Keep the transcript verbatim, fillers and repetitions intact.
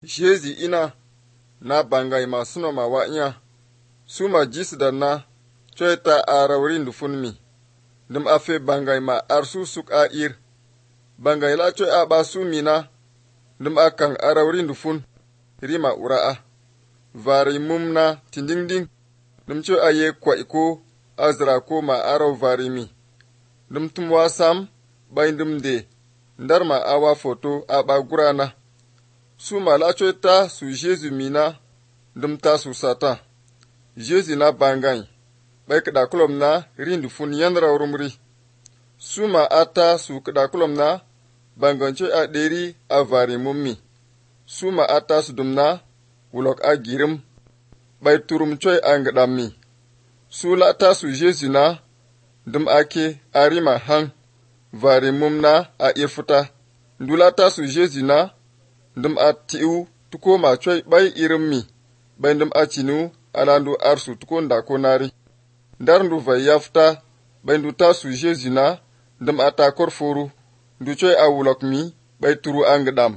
Jezi ina na bangai ma suno ma wanya suma jis da na choita arawri ndufun mi dum afe bangai ma arsu suk a ir bangai la choi a ba su mi na dum akan arawri ndufun rima ura'a vari mum na tindingding dum choi aye kwa iko azra ko ma araw vari mi dum tum wasam bai dum de ndar ma awa foto a ba gurana su ma la choi ta su Jesu mina dum ta su sata Jesu na bangai bai kada kulom na rindu fun yandra rumri su ma ata su kada kulom na bangan choi a deri a vari mummi su ma ata su dum na wulok a girim bai turum choi a ngadammi su la ta su Jesu na dum ake arima hang vari mum na a irfuta ndula ta su Jesu na dum a tiu tuko ma choi bai irim mi bai dum a chinu alandu arsu tuko nda ko nari ndar ndu vai yafta bai ndu ta su Jesu na dum a ta korforu ndu choi a wulok mi bai turu a ngadam